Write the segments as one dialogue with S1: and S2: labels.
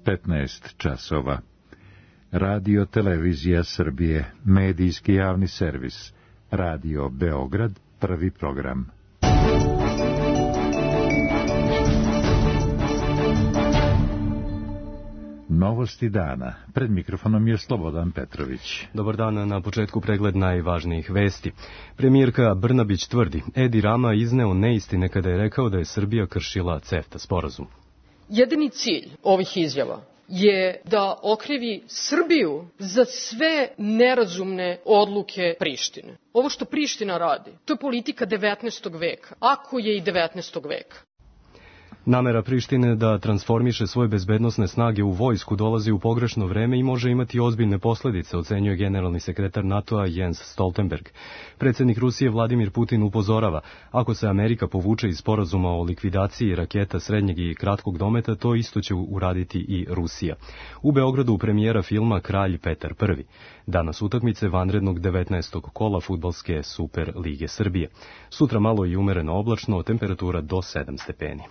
S1: 15 časova. Radio Televizija Srbije, medijski javni servis. Radio Beograd, prvi program. Novosti dana. Pred mikrofonom je Slobodan Petrović.
S2: Dobar dan, na početku pregled najvažnijih vesti. Premijerka Brnabić tvrdi, Edi Rama izneo neistine kada je rekao da je Srbija kršila CEFTA sporazum.
S3: Jedini cilj ovih izjava je da okrivi Srbiju za sve nerazumne odluke Prištine. Ovo što Priština radi, to je politika 19. veka, ako je i 19. veka.
S2: Namera Prištine da transformiše svoje bezbednosne snage u vojsku dolazi u pogrešno vreme i može imati ozbiljne posledice, ocenjuje generalni sekretar NATO-a Jens Stoltenberg. Predsjednik Rusije Vladimir Putin upozorava, ako se Amerika povuče iz sporazuma o likvidaciji raketa srednjeg i kratkog dometa, to isto će uraditi i Rusija. U Beogradu premijera filma Kralj Petar I. Danas utakmice vanrednog 19. kola fudbalske Super lige Srbije. Sutra malo i umereno oblačno, temperatura do 7 stepeni.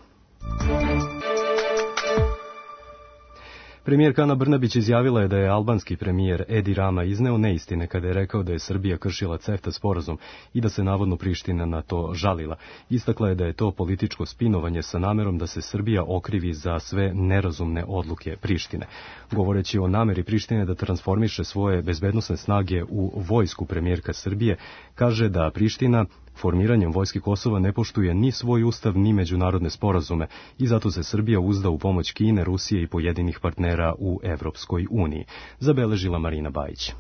S2: Premijerka Ana Brnabić izjavila je da je albanski premijer Edi Rama izneo neistine kada je rekao da je Srbija kršila CEFTA sporazum i da se navodno Priština na to žalila. Istakla je da je to političko spinovanje sa namerom da se Srbija okrivi za sve nerazumne odluke Prištine. Govoreći o nameri Prištine da transformiše svoje bezbednosne snage u vojsku, premijerka Srbije kaže da Priština formiranjem vojske Kosova ne poštuje ni svoj ustav ni međunarodne sporazume i zato se Srbija uzda u pomoć Kine, Rusije i pojedinih partnera u Evropskoj uniji, zabeležila Marina Bajić.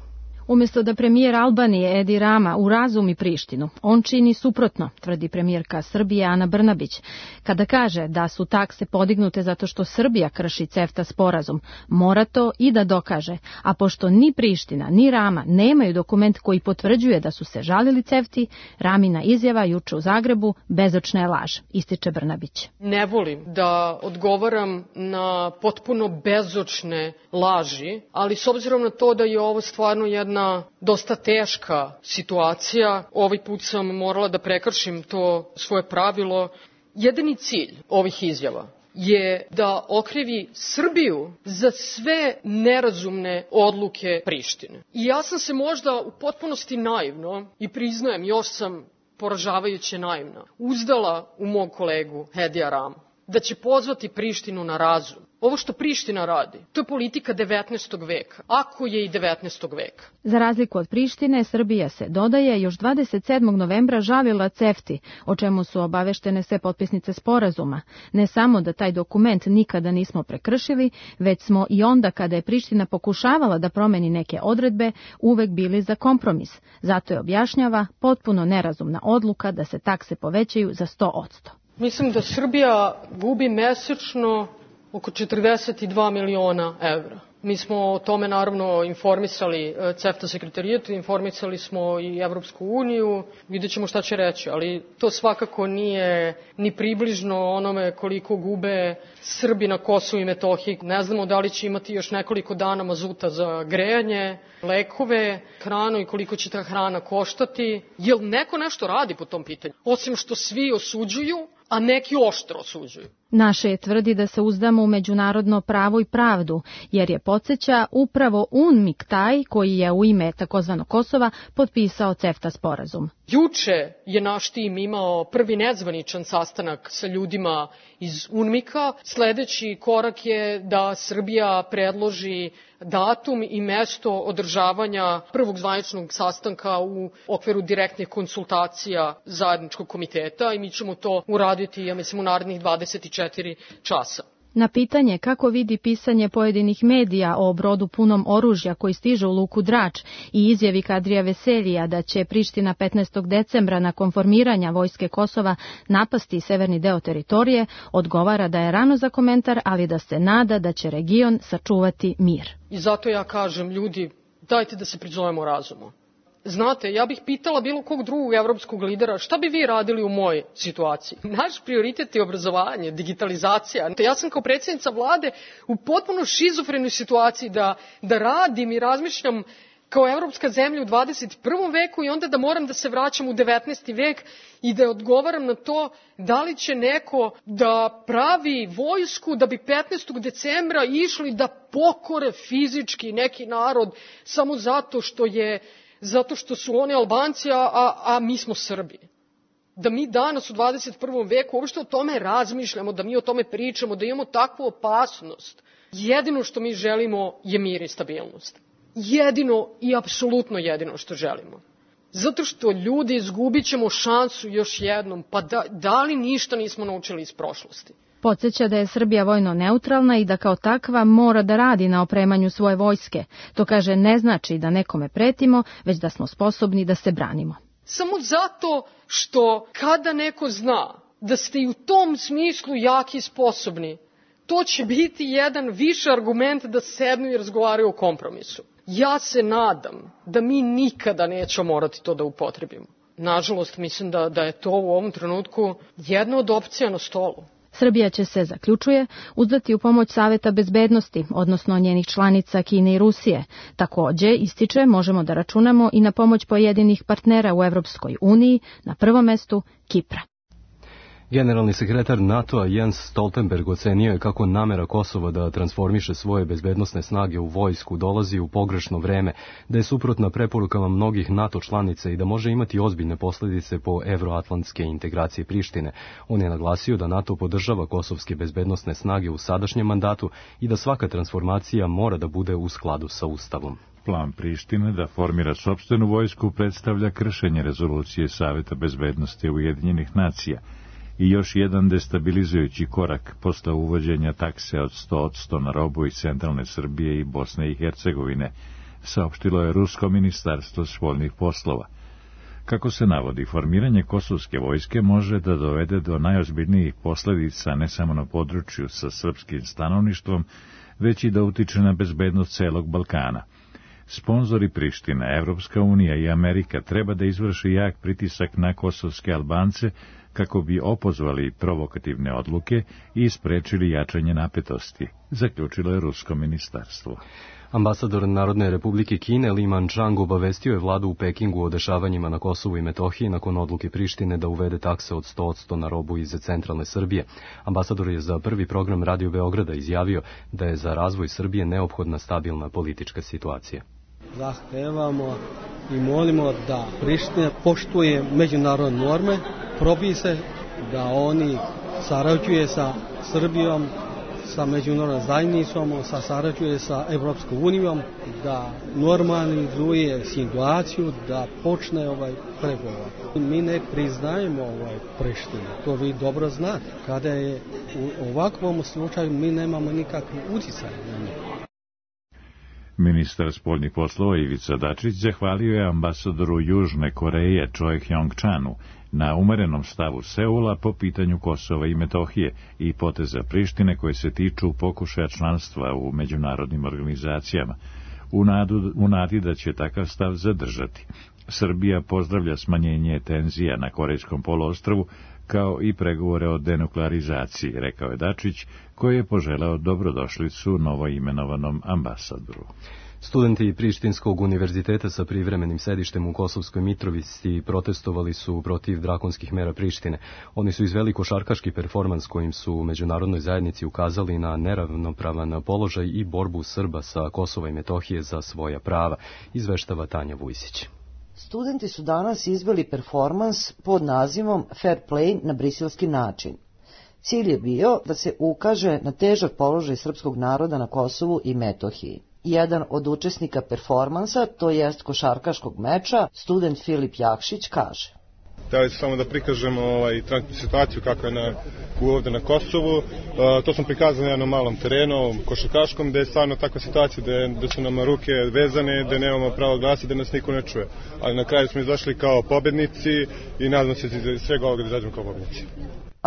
S4: Umjesto da premijer Albanije Edi Rama urazumi Prištinu, on čini suprotno, tvrdi premijerka Srbije Ana Brnabić. Kada kaže da su takse podignute zato što Srbija krši CEFTA sporazum, mora to i da dokaže, a pošto ni Priština ni Rama nemaju dokument koji potvrđuje da su se žalili CEFTI, Ramina izjava juče u Zagrebu bezočna je laž, ističe Brnabić.
S3: Ne volim da odgovaram na potpuno bezočne laži, ali s obzirom na to da je ovo stvarno jedna dosta teška situacija, ovaj put sam morala da prekršim to svoje pravilo. Jedini cilj ovih izjava je da okrivi Srbiju za sve nerazumne odluke Prištine. I ja sam se možda u potpunosti naivno, i priznajem, još sam poražavajuće naivna, uzdala u mog kolegu Edija Ramu, da će pozvati Prištinu na razum. Ovo što Priština radi, to je politika 19. veka, ako je i 19. veka.
S4: Za razliku od Prištine, Srbija se, dodaje, još 27. novembra žalila CEFTI, o čemu su obaveštene sve potpisnice sporazuma. Ne samo da taj dokument nikada nismo prekršili, već smo i onda kada je Priština pokušavala da promeni neke odredbe, uvek bili za kompromis. Zato je, objašnjava, potpuno nerazumna odluka da se takse povećaju za 100%.
S3: Mislim da Srbija gubi mesečno oko 42 miliona evra. Mi smo o tome naravno informisali CEFTA sekretarijat, informisali smo i Evropsku uniju, vidjet ćemo šta će reći, ali to svakako nije ni približno onome koliko gube Srbi na Kosovu i Metohiji. Ne znamo da li će imati još nekoliko dana mazuta za grejanje, lekove, hranu i koliko će ta hrana koštati. Jel neko nešto radi po tom pitanju? Osim što svi osuđuju, a neki oštro osuđuju.
S4: Naše je tvrdi da se uzdamo u međunarodno pravo i pravdu, jer je, podsjeća, upravo UNMIK taj koji je u ime takozvanog Kosova potpisao CEFTA sporazum.
S3: Juče je naš tim imao prvi nezvaničan sastanak sa ljudima iz UNMIK-a. Sledeći korak je da Srbija predloži datum i mesto održavanja prvog zvaničnog sastanka u okviru direktnih konsultacija zajedničkog komiteta i mi ćemo to uraditi, ja mislim, u narednih 24 časa.
S4: Na pitanje kako vidi pisanje pojedinih medija o brodu punom oružja koji stiže u luku Drač i izjavi Kadrija Veseljija da će Priština 15. decembra nakon formiranja vojske Kosova napasti severni deo teritorije, odgovara da je rano za komentar, ali da se nada da će region sačuvati mir.
S3: I zato ja kažem, ljudi, dajte da se prizovemo razumu. Znate, ja bih pitala bilo kog drugog evropskog lidera šta bi vi radili u mojoj situaciji. Naš prioritet je obrazovanje, digitalizacija. Ja sam kao predsjednica vlade u potpuno šizofrenoj situaciji da radim i razmišljam kao evropska zemlja u 21. veku i onda da moram da se vraćam u 19. vek i da odgovaram na to da li će neko da pravi vojsku da bi 15. decembra išli da pokore fizički neki narod samo zato što su oni Albanci, a mi smo Srbi. Da mi danas u 21. veku uopšte o tome razmišljamo, da mi o tome pričamo, da imamo takvu opasnost. Jedino što mi želimo je mir i stabilnost. Jedino i apsolutno jedino što želimo. Zato što ljudi izgubit ćemo šansu još jednom, pa da li ništa nismo naučili iz prošlosti?
S4: Podsjeća da je Srbija vojno neutralna i da kao takva mora da radi na opremanju svoje vojske. To kaže ne znači da nekome pretimo, već da smo sposobni da se branimo.
S3: Samo zato što kada neko zna da ste i u tom smislu jaki i sposobni, to će biti jedan više argument da sednu i razgovaraju o kompromisu. Ja se nadam da mi nikada nećemo morati to da upotrebimo. Nažalost, mislim da je to u ovom trenutku jedna od opcija na stolu.
S4: Srbija će se, zaključuje, uzdati u pomoć Saveta bezbednosti, odnosno njenih članica Kine i Rusije. Takođe, ističe, možemo da računamo i na pomoć pojedinih partnera u Evropskoj uniji, na prvom mestu Kipra.
S2: Generalni sekretar NATO-a Jens Stoltenberg ocenio je kako namera Kosova da transformiše svoje bezbednosne snage u vojsku dolazi u pogrešno vreme, da je suprotna preporukama mnogih NATO članica i da može imati ozbiljne posledice po evroatlantske integracije Prištine. On je naglasio da NATO podržava kosovske bezbednosne snage u sadašnjem mandatu i da svaka transformacija mora da bude u skladu sa Ustavom.
S1: Plan Prištine da formira sopstvenu vojsku predstavlja kršenje rezolucije Saveta bezbednosti Ujedinjenih nacija i još jedan destabilizujući korak posle uvođenja takse od 100% na robu iz centralne Srbije i Bosne i Hercegovine, saopštilo je Rusko ministarstvo spoljnih poslova. Kako se navodi, formiranje kosovske vojske može da dovede do najozbiljnijih posledica ne samo na području sa srpskim stanovništvom, već i da utiče na bezbednost celog Balkana. Sponzori Prištine, Evropska unija i Amerika treba da izvrši jak pritisak na kosovske Albance kako bi opozvali provokativne odluke i sprečili jačanje napetosti, zaključilo je Rusko ministarstvo.
S2: Ambasador Narodne republike Kine Li Manchang obavestio je vladu u Pekingu o dešavanjima na Kosovu i Metohiji nakon odluke Prištine da uvede takse od 100% na robu iz centralne Srbije. Ambasador je za prvi program Radio Beograda izjavio da je za razvoj Srbije neophodna stabilna politička situacija.
S5: Zahtevamo i molimo da Priština poštuje međunarodne norme, propise, da oni sarađuje sa Srbijom, sa međunarodnom zajednicom, sarađuje sa Evropskom unijom, da normalizuje situaciju, da počne pregovor. Mi ne priznajemo Prištinu, to vi dobro znate. Kada je u ovakvom slučaju mi nemamo nikakvi uticaj na njih.
S1: Ministar spoljnih poslova Ivica Dačić zahvalio je ambasadoru Južne Koreje Choi Hyong-chanu na umerenom stavu Seula po pitanju Kosova i Metohije i poteza Prištine koje se tiču pokušaja članstva u međunarodnim organizacijama, u nadi da će takav stav zadržati. Srbija pozdravlja smanjenje tenzija na Korejskom poluostrvu kao i pregovore o denuklearizaciji, rekao je Dačić, koji je poželeo dobrodošlicu novoimenovanom ambasadoru.
S2: Studenti Prištinskog univerziteta sa privremenim sedištem u Kosovskoj Mitrovici protestovali su protiv drakonskih mera Prištine. Oni su izveli košarkaški performans kojim su u međunarodnoj zajednici ukazali na neravnopravan položaj i borbu Srba sa Kosova i Metohije za svoja prava, izveštava Tanja Vujsić.
S6: Studenti su danas izveli performans pod nazivom Fair Play na briselski način. Cilj je bio da se ukaže na težak položaj srpskog naroda na Kosovu i Metohiji. Jedan od učesnika performansa, to jest košarkaškog meča, student Filip Jakšić kaže:
S7: Hteli smo samo da prikažemo trenutnu situaciju kako je ovde na Kosovu. To smo prikazali na jednom malom terenu, košarkaškom, gde je stvarno takva situacija, gde su nam ruke vezane, gde nemamo pravo glasa, da nas niko ne čuje. Ali na kraju smo izašli kao pobednici i nadam se da svega ovoga da izađemo kao pobednici.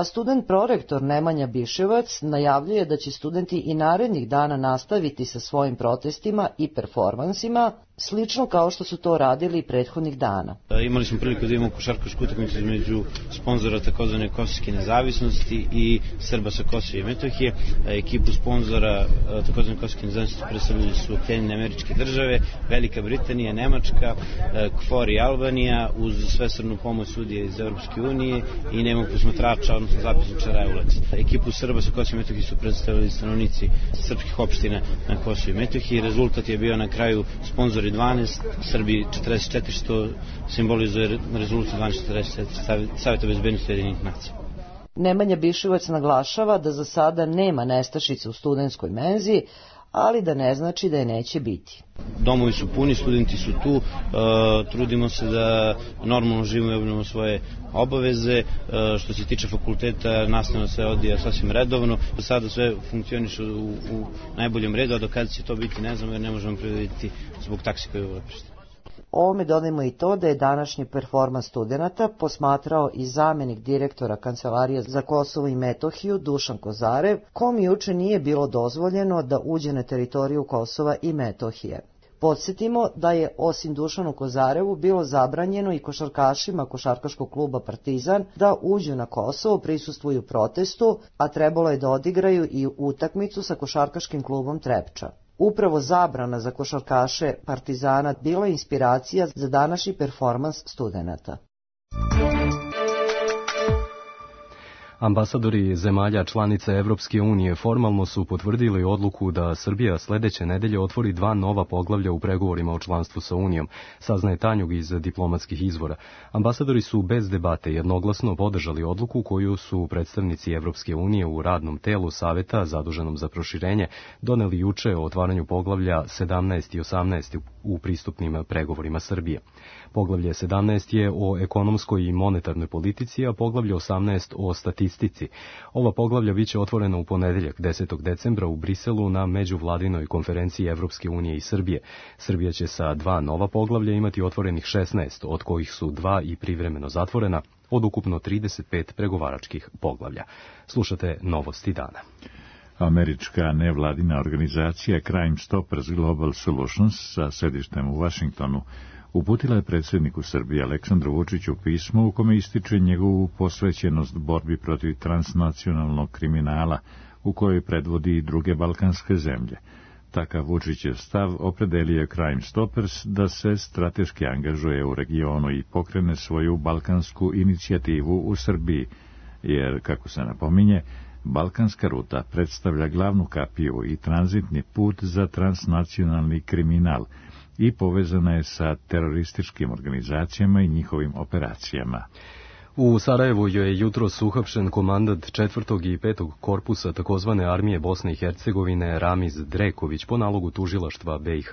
S6: A student prorektor Nemanja Biševac najavljuje da će studenti i narednih dana nastaviti sa svojim protestima i performansima, slično kao što su to radili i prethodnih dana.
S8: Imali smo priliku da imamo košarkašku utakmicu između sponzora takozvane kosovske nezavisnosti i Srba sa Kosova i Metohije. Ekipu sponzora takozvane kosovske nezavisnosti predstavljali su Sjedinjene Američke Države, Velika Britanija, Nemačka, KFOR i Albanija uz svesrdnu pomoć sudije iz Europske unije i nemog posmatrača, odnosno zapisničara EULEX. Ekipu Srba sa Kosova i Metohije su predstavili stanovnici srpskih opština na Kosovu i Metohiji. Rezultat je bio na kraju sponzori 12, Srbi 44, što simbolizuje rezoluciju 1244 Saveta bezbednosti Ujedinjenih nacija.
S6: Nemanja Biševac naglašava da za sada nema nestašice u studentskoj menzi, ali da ne znači da je neće biti.
S8: Domovi su puni, studenti su tu, trudimo se da normalno živimo i obavljamo svoje obaveze. Što se tiče fakulteta, nastavno se odvija sasvim redovno. Do sada sve funkcioniše u najboljem redu, a do kada će to biti ne znamo jer ne možemo predvidjeti zbog taksi koje je uleprište.
S6: Ovome dodajmo i to da je današnji performans studenata posmatrao i zamenik direktora Kancelarije za Kosovo i Metohiju Dušan Kozarev, kom juče nije bilo dozvoljeno da uđe na teritoriju Kosova i Metohije. Podsjetimo da je osim Dušanu Kozarevu bilo zabranjeno i košarkašima košarkaškog kluba Partizan da uđu na Kosovo, prisustvuju protestu, a trebalo je da odigraju i utakmicu sa košarkaškim klubom Trepča. Upravo zabrana za košarkaše Partizana bila je inspiracija za današnji performans studenata.
S2: Ambasadori zemalja članica Evropske unije formalno su potvrdili odluku da Srbija sledeće nedelje otvori 2 nova poglavlja u pregovorima o članstvu sa Unijom, saznaje Tanjug iz diplomatskih izvora. Ambasadori su bez debate jednoglasno podržali odluku koju su predstavnici Evropske unije u radnom telu Saveta zaduženom za proširenje doneli juče o otvaranju poglavlja 17 i 18 u pristupnim pregovorima Srbije. Poglavlje 17 je o ekonomskoj i monetarnoj politici, a poglavlje 18 o statistici. Ova poglavlja biće otvorena u ponedeljak 10. decembra u Briselu na međuvladinoj konferenciji Evropske unije i Srbije. Srbija će sa 2 nova poglavlja imati otvorenih 16, od kojih su 2 i privremeno zatvorena, od ukupno 35 pregovaračkih poglavlja. Slušate Novosti dana.
S1: Američka nevladina organizacija Crime Stoppers Global Solutions sa sedištem u Vašingtonu uputila je predsjedniku Srbije Aleksandru Vučiću pismo u kome ističe njegovu posvećenost borbi protiv transnacionalnog kriminala u kojoj predvodi i druge balkanske zemlje. Takav Vučićev stav opredelio je Crime Stoppers da se strateški angažuje u regionu i pokrene svoju balkansku inicijativu u Srbiji, jer, kako se napominje, balkanska ruta predstavlja glavnu kapiju i tranzitni put za transnacionalni kriminal i povezana je sa terorističkim organizacijama i njihovim operacijama.
S2: U Sarajevu je jutros uhapšen komandant 4. i 5. korpusa takozvane armije Bosne i Hercegovine Ramiz Dreković po nalogu tužilaštva BiH.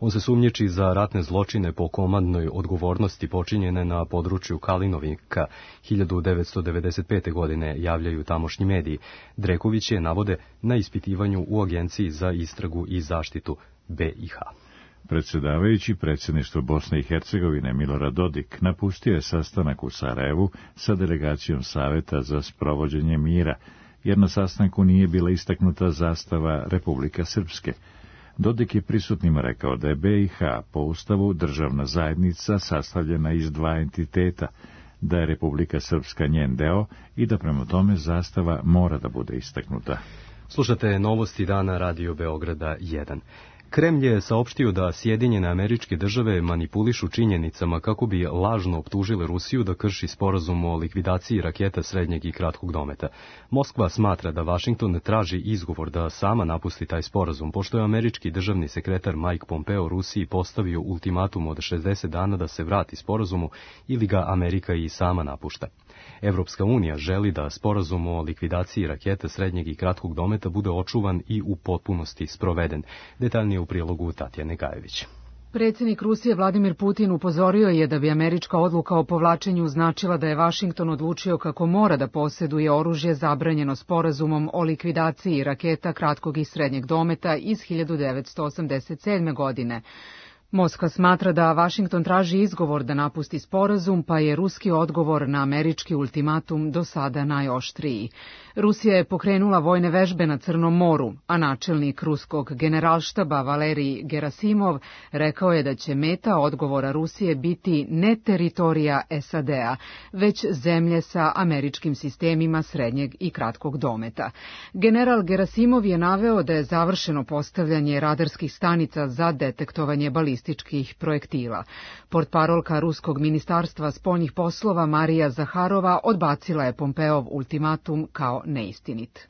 S2: On se sumnjiči za ratne zločine po komandnoj odgovornosti počinjene na području Kalinovika 1995. godine, javljaju tamošnji mediji. Dreković je, navode, na ispitivanju u Agenciji za istragu i zaštitu BiH.
S1: Predsjedavajući predsjedništvo Bosne i Hercegovine Milorad Dodik napustio je sastanak u Sarajevu sa delegacijom Saveta za sprovođenje mira, jer na sastanku nije bila istaknuta zastava Republika Srpske. Dodik je prisutnima rekao da je BiH po Ustavu državna zajednica sastavljena iz 2 entiteta, da je Republika Srpska njen deo i da prema tome zastava mora da bude istaknuta.
S2: Slušate Novosti dana Radio Beograda 1. Kremlj je saopštio da Sjedinjene Američke Države manipulišu činjenicama kako bi lažno optužile Rusiju da krši sporazum o likvidaciji raketa srednjeg i kratkog dometa. Moskva smatra da Vašington traži izgovor da sama napusti taj sporazum, pošto je američki državni sekretar Mike Pompeo Rusiji postavio ultimatum od 60 dana da se vrati sporazumu ili ga Amerika i sama napušta. Evropska unija želi da sporazum o likvidaciji raketa srednjeg i kratkog dometa bude očuvan i u potpunosti sproveden. Detaljnije u prilogu Tatjane Gajević.
S9: Predsjednik Rusije Vladimir Putin upozorio je da bi američka odluka o povlačenju značila da je Vašington odlučio kako mora da posjeduje oružje zabranjeno sporazumom o likvidaciji raketa kratkog i srednjeg dometa iz 1987. godine. Moskva smatra da Vašington traži izgovor da napusti sporazum, pa je ruski odgovor na američki ultimatum do sada najoštriji. Rusija je pokrenula vojne vežbe na Crnom moru, a načelnik ruskog generalštaba Valerij Gerasimov rekao je da će meta odgovora Rusije biti ne teritorija SAD-a, već zemlje sa američkim sistemima srednjeg i kratkog dometa. General Gerasimov je naveo da je završeno postavljanje radarskih stanica za detektovanje balističkih projektila. Portparolka Ruskog ministarstva spoljnih poslova Marija Zaharova odbacila je Pompeov ultimatum kao neistinit.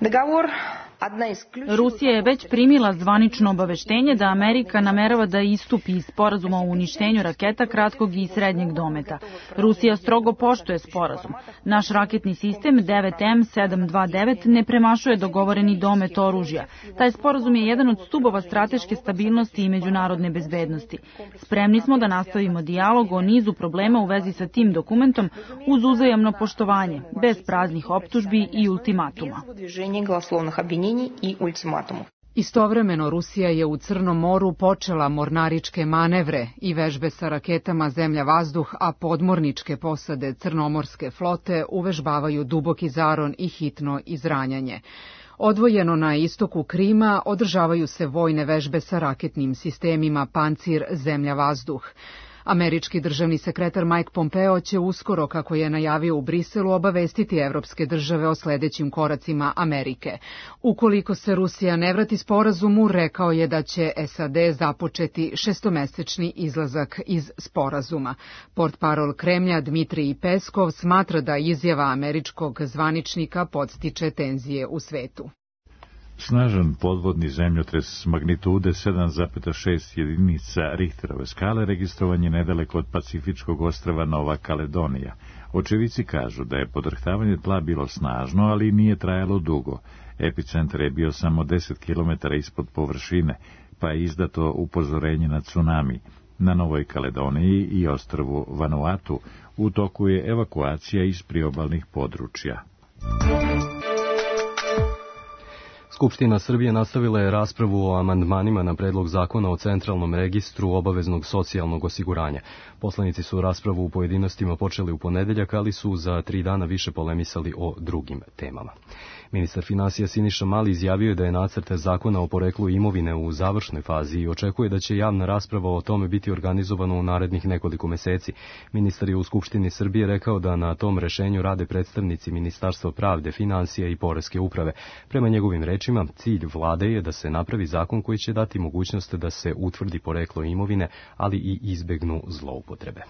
S10: Rusija je već primila zvanično obaveštenje da Amerika namerava da istupi iz sporazuma o uništenju raketa kratkog i srednjeg dometa. Rusija strogo poštuje sporazum. Naš raketni sistem 9M729 ne premašuje dogovoreni domet oružja. Taj sporazum je jedan od stubova strateške stabilnosti i međunarodne bezbednosti. Spremni smo da nastavimo dijalog o nizu problema u vezi sa tim dokumentom uz uzajamno poštovanje, bez praznih optužbi i ultimatuma.
S9: Istovremeno Rusija je u Crnom moru počela mornaričke manevre i vežbe sa raketama zemlja-vazduh, a podmorničke posade Crnomorske flote uvežbavaju duboki zaron i hitno izranjanje. Odvojeno na istoku Krima održavaju se vojne vežbe sa raketnim sistemima Pancir zemlja-vazduh. Američki državni sekretar Mike Pompeo će uskoro, kako je najavio u Briselu, obavestiti evropske države o sledećim koracima Amerike. Ukoliko se Rusija ne vrati sporazumu, rekao je da će SAD započeti šestomesečni izlazak iz sporazuma. Portparol Kremlja Dmitrij Peskov smatra da izjava američkog zvaničnika podstiče tenzije u svetu.
S1: Snažan podvodni zemljotres magnitude 7,6 jedinica Richterove skale registrovan je nedaleko od pacifičkog ostrva Nova Kaledonija. Očevici kažu da je podrhtavanje tla bilo snažno, ali nije trajalo dugo. Epicentar je bio samo 10 km ispod površine, pa je izdato upozorenje na tsunami. Na Novoj Kaledoniji i ostrvu Vanuatu u toku je evakuacija iz priobalnih područja.
S2: Skupština Srbije nastavila je raspravu o amandmanima na predlog zakona o centralnom registru obaveznog socijalnog osiguranja. Poslanici su raspravu u pojedinostima počeli u ponedeljak, ali su za 3 dana više polemisali o drugim temama. Ministar finansija Siniša Mali izjavio je da je nacrt zakona o poreklu imovine u završnoj fazi i očekuje da će javna rasprava o tome biti organizovana u narednih nekoliko meseci. Ministar je u Skupštini Srbije rekao da na tom rešenju rade predstavnici Ministarstva pravde, finansija i poreske uprave. Prema njegovim rečima, cilj vlade je da se napravi zakon koji će dati mogućnost da se utvrdi poreklo imovine, ali i izbegnu zloupotrebe.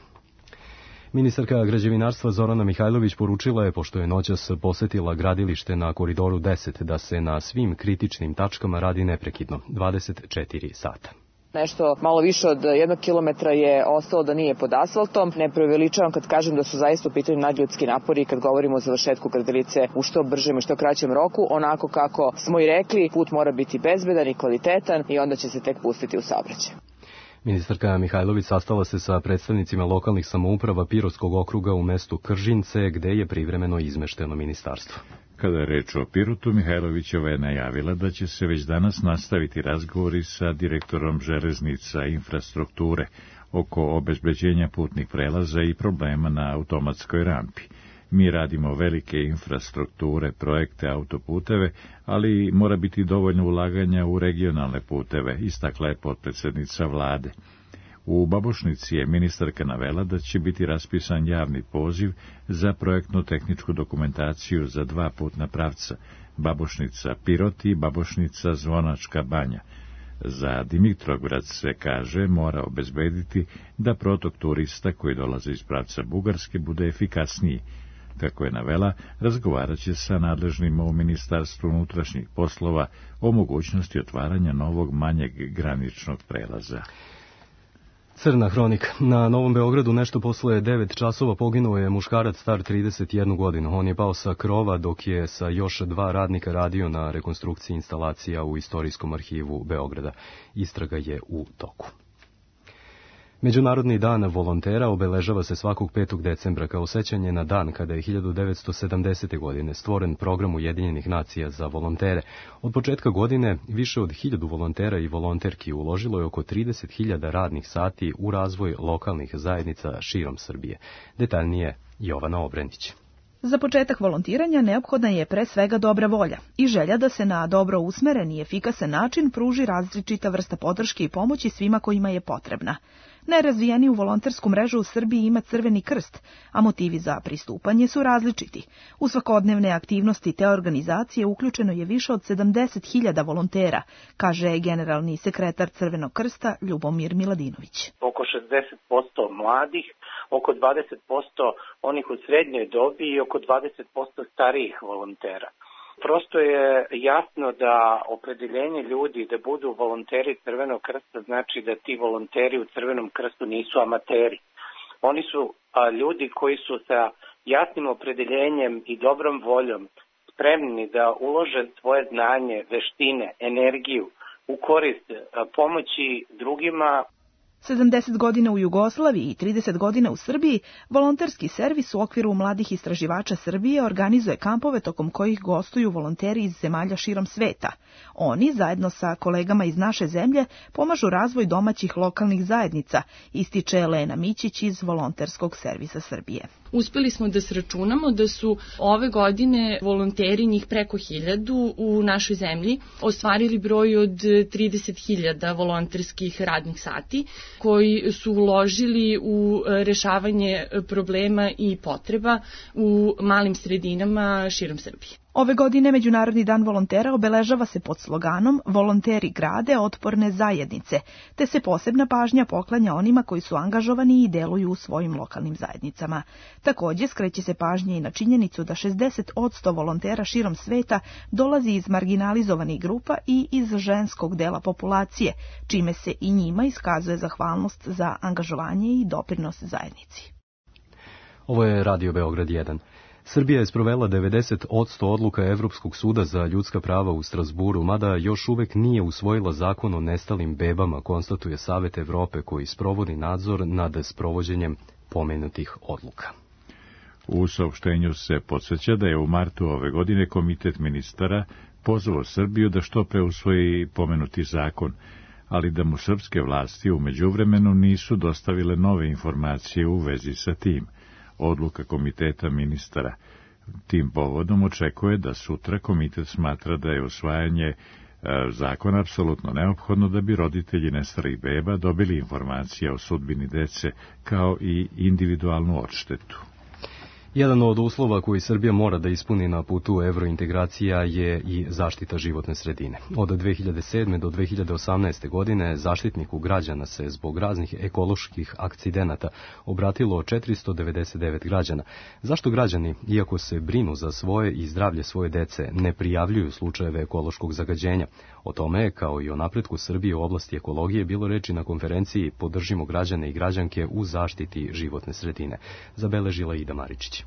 S2: Ministarka građevinarstva Zorana Mihajlović poručila je, pošto je noćas posetila gradilište na Koridoru 10, da se na svim kritičnim tačkama radi neprekidno, 24 sata.
S11: Nešto malo više od 1 kilometra je ostalo da nije pod asfaltom. Ne preuveličavam kad kažem da su zaista u pitanju nadljudski napori kad govorimo o završetku gradilice u što bržem i što kraćem roku. Onako kako smo i rekli, put mora biti bezbedan i kvalitetan i onda će se tek pustiti u saobraćaj.
S2: Ministarka Mihajlović sastala se sa predstavnicima lokalnih samouprava Pirotskog okruga u mestu Kržince, gde je privremeno izmešteno ministarstvo.
S1: Kada je reč o Pirotu, Mihajlovićeva je najavila da će se već danas nastaviti razgovori sa direktorom železnica infrastrukture oko obezbeđenja putnih prelaza i problema na automatskoj rampi. Mi radimo velike infrastrukture, projekte, autoputeve, ali mora biti dovoljno ulaganja u regionalne puteve, istakla je potpredsednica vlade. U Babušnici je ministarka navela da će biti raspisan javni poziv za projektno-tehničku dokumentaciju za 2 putna pravca, Babušnica-Pirot i Babušnica-Zvonačka banja. Za Dimitrovgrad se, kaže, mora obezbediti da protok turista koji dolaze iz pravca Bugarske bude efikasniji. Kako je navela, razgovarat će sa nadležnima u Ministarstvu unutrašnjih poslova o mogućnosti otvaranja novog manjeg graničnog prelaza.
S2: Crna hronika. Na Novom Beogradu nešto posle 9 časova poginuo je muškarac star 31 godinu. On je pao sa krova dok je sa još 2 radnika radio na rekonstrukciji instalacija u Istorijskom arhivu Beograda. Istraga je u toku. Međunarodni dan volontera obeležava se svakog 5. decembra kao sećanje na dan kada je 1970. godine stvoren program Ujedinjenih nacija za volontere. Od početka godine više od 1000 volontera i volonterki uložilo je oko 30.000 radnih sati u razvoj lokalnih zajednica širom Srbije. Detaljnije Jovana Obrenić.
S12: Za početak volontiranja neophodna je pre svega dobra volja i želja da se na dobro usmeren i efikasan način pruži različita vrsta podrške i pomoći svima kojima je potrebna. Najrazvijeniju volontersku mrežu u Srbiji ima Crveni krst, a motivi za pristupanje su različiti. U svakodnevne aktivnosti te organizacije uključeno je više od 70.000 volontera, kaže generalni sekretar Crvenog krsta Ljubomir Miladinović.
S13: Oko 60% mladih, oko 20% onih u srednjoj dobi i oko 20% starijih volontera. Prosto je jasno da opredeljenje ljudi da budu volonteri Crvenog krsta znači da ti volonteri u Crvenom krstu nisu amateri. Oni su ljudi koji su sa jasnim opredeljenjem i dobrom voljom spremni da ulože svoje znanje, veštine, energiju u korist pomoći drugima.
S12: 70 godina u Jugoslaviji i 30 godina u Srbiji, volonterski servis u okviru Mladih istraživača Srbije organizuje kampove tokom kojih gostuju volonteri iz zemalja širom sveta. Oni, zajedno sa kolegama iz naše zemlje, pomažu razvoj domaćih lokalnih zajednica, ističe Elena Mićić iz Volonterskog servisa Srbije.
S14: Uspeli smo da sračunamo da su ove godine volonteri, njih preko 1000 u našoj zemlji, ostvarili broj od 30.000 volonterskih radnih sati, koji su uložili u rešavanje problema i potreba u malim sredinama širom Srbije.
S12: Ove godine Međunarodni dan volontera obeležava se pod sloganom Volonteri grade otporne zajednice, te se posebna pažnja poklanja onima koji su angažovani i deluju u svojim lokalnim zajednicama. Takođe, skreće se pažnje i na činjenicu da 60% volontera širom sveta dolazi iz marginalizovanih grupa i iz ženskog dela populacije, čime se i njima iskazuje zahvalnost za angažovanje i doprinos zajednici.
S2: Ovo je Radio Beograd 1. Srbija je sprovela 90% odluka Evropskog suda za ljudska prava u Strasburu, mada još uvek nije usvojila zakon o nestalim bebama, konstatuje Savet Evrope koji sprovodi nadzor nad sprovođenjem pomenutih odluka.
S1: U saopštenju se podsjeća da je u martu ove godine Komitet ministara pozvao Srbiju da što pre usvoji pomenuti zakon, ali da mu srpske vlasti u međuvremenu nisu dostavile nove informacije u vezi sa tim. Odluka Komiteta ministara tim povodom očekuje da sutra komitet smatra da je usvajanje zakona apsolutno neophodno da bi roditelji nestalih beba dobili informacije o sudbini dece kao i individualnu odštetu.
S2: Jedan od uslova koji Srbija mora da ispuni na putu evrointegracija je i zaštita životne sredine. Od 2007. do 2018. godine Zaštitniku građana se zbog raznih ekoloških akcidenata obratilo 499 građana. Zašto građani, iako se brinu za svoje i zdravlje svoje dece, ne prijavljuju slučajeve ekološkog zagađenja? O tome je, kao i o napretku Srbije u oblasti ekologije, bilo reči na konferenciji Podržimo građane i građanke u zaštiti životne sredine, zabeležila Ida Maričić.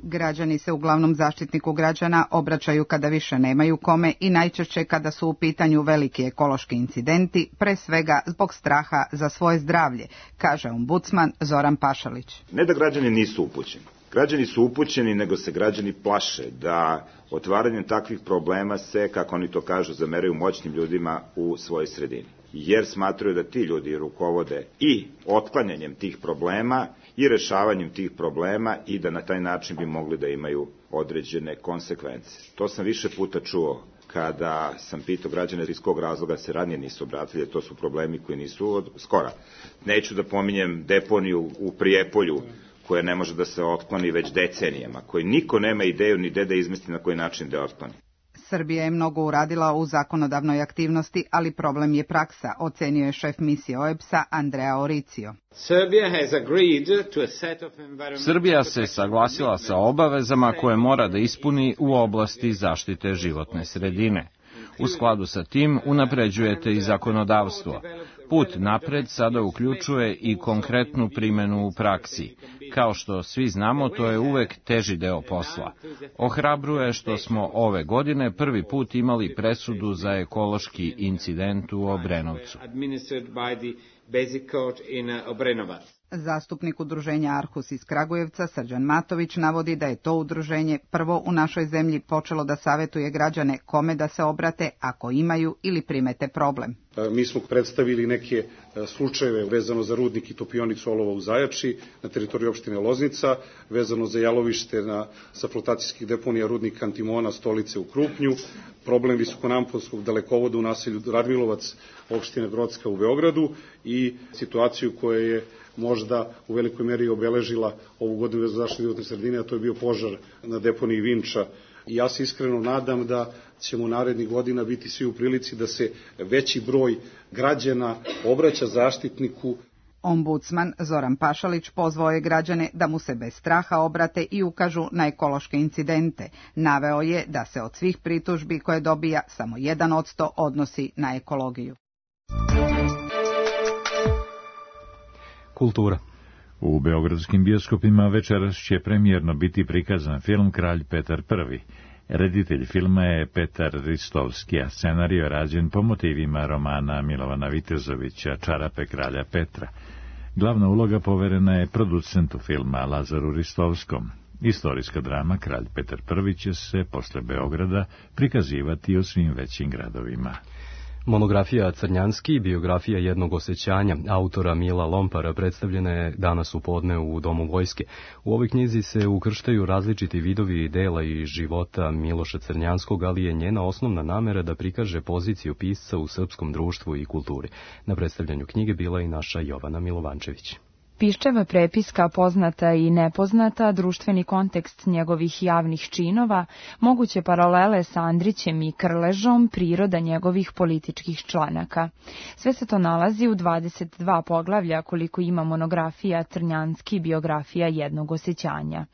S15: Građani se uglavnom Zaštitniku građana obraćaju kada više nemaju kome i najčešće kada su u pitanju veliki ekološki incidenti, pre svega zbog straha za svoje zdravlje, kaže ombudsman Zoran Pašalić.
S16: Ne da građani nisu upućeni. Građani su upućeni, nego se građani plaše da otvaranjem takvih problema se, kako oni to kažu, zameraju moćnim ljudima u svojoj sredini. Jer smatraju da ti ljudi rukovode i otklanjanjem tih problema i rešavanjem tih problema i da na taj način bi mogli da imaju određene konsekvence. To sam više puta čuo kada sam pitao građane iz kog razloga se ranije nisu obratili, to su problemi koji nisu od skora. Neću da pominjem deponiju u Prijepolju, koja ne može da se otkloni već decenijama, koji niko nema ideju ni da izmisli na koji način da otkloni.
S15: Srbija je mnogo uradila u zakonodavnoj aktivnosti, ali problem je praksa, ocenio je šef misije OEBS-a Andrea Oricio.
S17: Srbija se saglasila sa obavezama koje mora da ispuni u oblasti zaštite životne sredine. U skladu sa tim unapređujete i zakonodavstvo. Put napred sada uključuje i konkretnu primjenu u praksi. Kao što svi znamo, to je uvek teži deo posla. Ohrabruje što smo ove godine prvi put imali presudu za ekološki incident u Obrenovcu.
S15: Zastupnik udruženja Arhus iz Kragujevca, Srđan Matović, navodi da je to udruženje prvo u našoj zemlji počelo da savetuje građane kome da se obrate ako imaju ili primete problem.
S18: Mi smo predstavili neke slučajeve vezano za rudnik i topionicu olova u Zajači na teritoriji opštine Loznica, vezano za jalovište sa flotacijskih deponija rudnik Antimona Stolice u Krupnju, problem visokonamponskog dalekovoda u naselju Radmilovac opštine Brodska u Beogradu i situaciju koja je možda u velikoj meri obeležila ovu godinu za zaštitu životne sredine, a to je bio požar na deponiji Vinča. I ja se iskreno nadam da ćemo narednih godina biti svi u prilici da se veći broj građana obraća zaštitniku.
S15: Ombudsman Zoran Pašalić pozvao je građane da mu se bez straha obrate i ukažu na ekološke incidente. Naveo je da se od svih pritužbi koje dobija samo 1% odnosi na ekologiju.
S2: Kultura.
S1: U beogradskim bioskopima večeras će premijerno biti prikazan film Kralj Petar I. Reditelj filma je Petar Ristovski, a scenario je rađen po motivima romana Milovana Vitezovića Čarape kralja Petra. Glavna uloga poverena je producentu filma Lazaru Ristovskom. Istorijska drama Kralj Petar I će se posle Beograda prikazivati u svim većim gradovima.
S2: Monografija Crnjanski, biografija jednog osjećanja, autora Mila Lompara, predstavljena je danas u podne u Domu vojske. U ovoj knjizi se ukrštaju različiti vidovi dela i života Miloša Crnjanskog, ali je njena osnovna namera da prikaže poziciju pisca u srpskom društvu i kulturi. Na predstavljanju knjige bila i naša Jovana Milovančević.
S19: Piščeva prepiska, poznata i nepoznata, društveni kontekst njegovih javnih činova, moguće paralele sa Andrićem i Krležom, priroda njegovih političkih članaka. Sve se to nalazi u 22 poglavlja koliko ima monografija Crnjanski, biografija jednog osjećanja.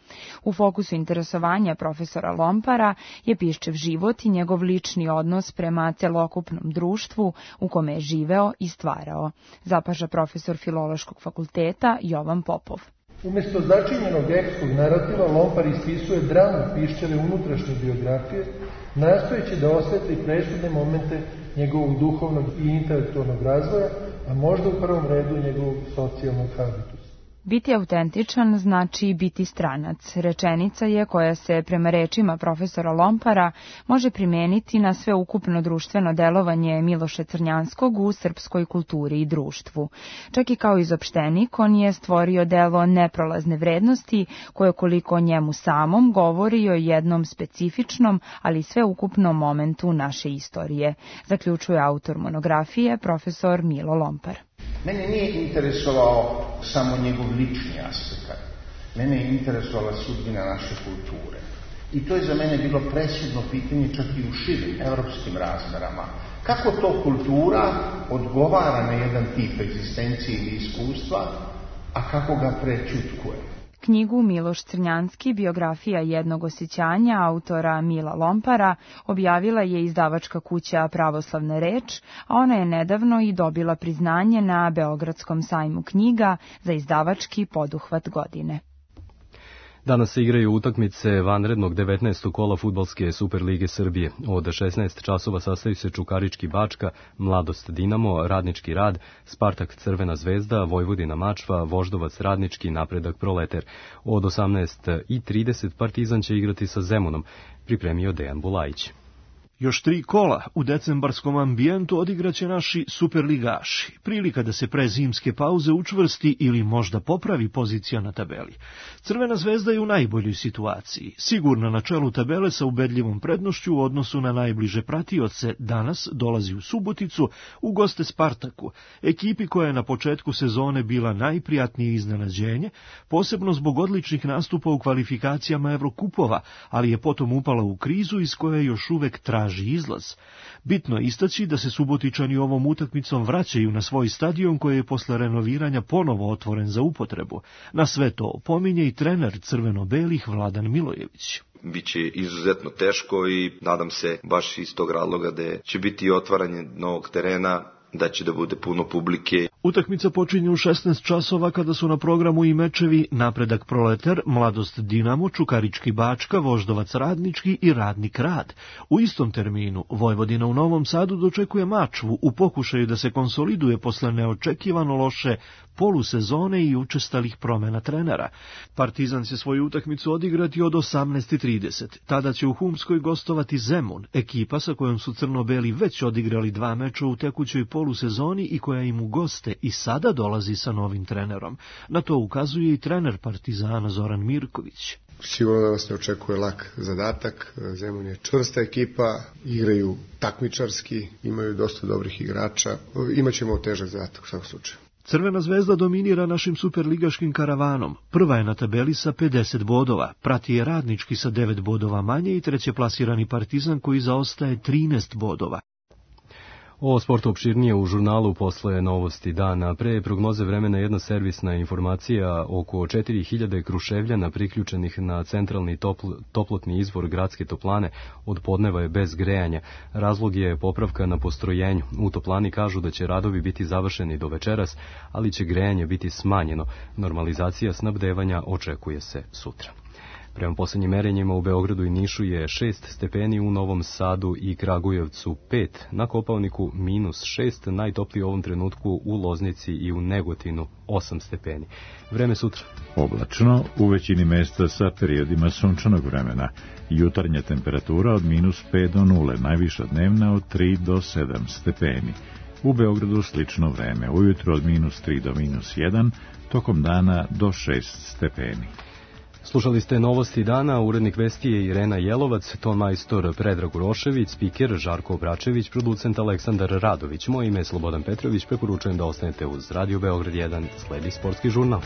S19: U fokusu interesovanja profesora Lompara je Piščev život i njegov lični odnos prema celokupnom društvu u kome je živeo i stvarao, zapaža profesor Filološkog fakulteta Jovan Popov.
S20: Umjesto začinjenog epskog narativa, Lompar ispisuje dramu Piščeve unutrašnje biografije, nastojeći da osvetli presudne momente njegovog duhovnog i intelektualnog razvoja, a možda u prvom redu njegovog socijalnog habitusa.
S19: Biti autentičan znači biti stranac. Rečenica je koja se, prema rečima profesora Lompara, može primeniti na sveukupno društveno delovanje Miloša Crnjanskog u srpskoj kulturi i društvu. Čak i kao izopštenik, on je stvorio delo neprolazne vrednosti, koje koliko o njemu samom govori o jednom specifičnom, ali sveukupnom momentu naše istorije, zaključuje autor monografije, profesor Milo Lompar.
S21: Mene nije interesovao samo njegov lični aspekt, mene je interesovala sudbina naše kulture. I to je za mene bilo presudno pitanje čak i u širim evropskim razmerama. Kako to kultura odgovara na jedan tip egzistencije ili iskustva, a kako ga prećutkuje?
S19: Knjigu Miloš Crnjanski, biografija jednog osjećanja, autora Mila Lompara, objavila je izdavačka kuća Pravoslavna reč, a ona je nedavno i dobila priznanje na Beogradskom sajmu knjiga za izdavački poduhvat godine.
S2: Danas se igraju utakmice vanrednog 19. kola fudbalske Superlige Srbije. Od 16 časova sastaju se Čukarički Bačka, Mladost Dinamo, Radnički Rad, Spartak Crvena zvezda, Vojvodina Mačva, Voždovac Radnički, Napredak Proleter. Od 18:30 Partizan će igrati sa Zemunom, pripremio Dejan Bulajić.
S22: Još 3 kola u decembarskom ambijentu odigraće naši superligaši. Prilika da se pre zimske pauze učvrsti ili možda popravi pozicija na tabeli. Crvena zvezda je u najboljoj situaciji. Sigurno na čelu tabele sa ubedljivom prednošću u odnosu na najbliže pratioce. Danas dolazi u Suboticu u goste Spartaku, ekipi koja je na početku sezone bila najprijatnije iznenađenje, posebno zbog odličnih nastupa u kvalifikacijama Evrokupova, ali je potom upala u krizu iz koje još uvek traži izlaz. Bitno je istaći da se Subotičani ovom utakmicom vraćaju na svoj stadion koji je posle renoviranja ponovo otvoren za upotrebu. Na sve to pominje i trener crveno-belih Vladan Milojević.
S23: Biće izuzetno teško i nadam se baš iz tog razloga da će biti otvaranje novog terena
S3: da će da bude puno publike.
S22: Utakmica počinje u 16 časova kada su na programu i mečevi Napredak Proletar, Mladost Dinamo, Čukarički Bačka, Voždovac Radnički i Radnik Rad. U istom terminu Vojvodina u Novom Sadu dočekuje Mačvu u pokušaju da se konsoliduje posle neočekivano loše polusezone i učestalih promena trenera. Partizan će svoju utakmicu odigrati od 18:30. Tada će u Humskoj gostovati Zemun, ekipa sa kojom su crno-beli već odigrali 2 meča u tekućoj polusezoni i koja im u goste i sada dolazi sa novim trenerom. Na to ukazuje i trener Partizana Zoran Mirković.
S4: Sigurno da nas ne očekuje lak zadatak. Zemun je čvrsta ekipa, igraju takmičarski, imaju dosta dobrih igrača. Imaćemo težak zadatak u svakom slučaju.
S22: Crvena zvezda dominira našim superligaškim karavanom. Prva je na tabeli sa 50 bodova, prati je Radnički sa 9 bodova manje i treće plasirani Partizan koji zaostaje 13 bodova.
S2: O sportu opširnije u žurnalu posle novosti dana. Pre prognoze vremena jedna servisna informacija: oko 4000 Kruševljana priključenih na centralni toplotni izvor gradske toplane od podneva je bez grejanja. Razlog je popravka na postrojenju. U toplani kažu da će radovi biti završeni do večeras, ali će grejanje biti smanjeno. Normalizacija snabdevanja očekuje se sutra. Prema poslednjim merenjima u Beogradu i Nišu je 6 stepeni, u Novom Sadu i Kragujevcu 5, na Kopaoniku -6, najtoplije u ovom trenutku u Loznici i u Negotinu 8 stepeni. Vreme sutra.
S1: Oblačno, u većini mesta sa periodima sunčanog vremena. Jutarnja temperatura od -5 do 0, najviša dnevna od 3 do 7 stepeni. U Beogradu slično vreme, ujutro od -3 do -1, tokom dana do 6 stepeni.
S2: Slušali ste novosti dana, urednik vesti je Irena Jelovac, ton majstor Predrag Urošević, spiker Žarko Obračević, producent Aleksandar Radović. Moje ime je Slobodan Petrović, preporučujem da ostanete uz Radio Beograd 1, sledi sportski žurnal.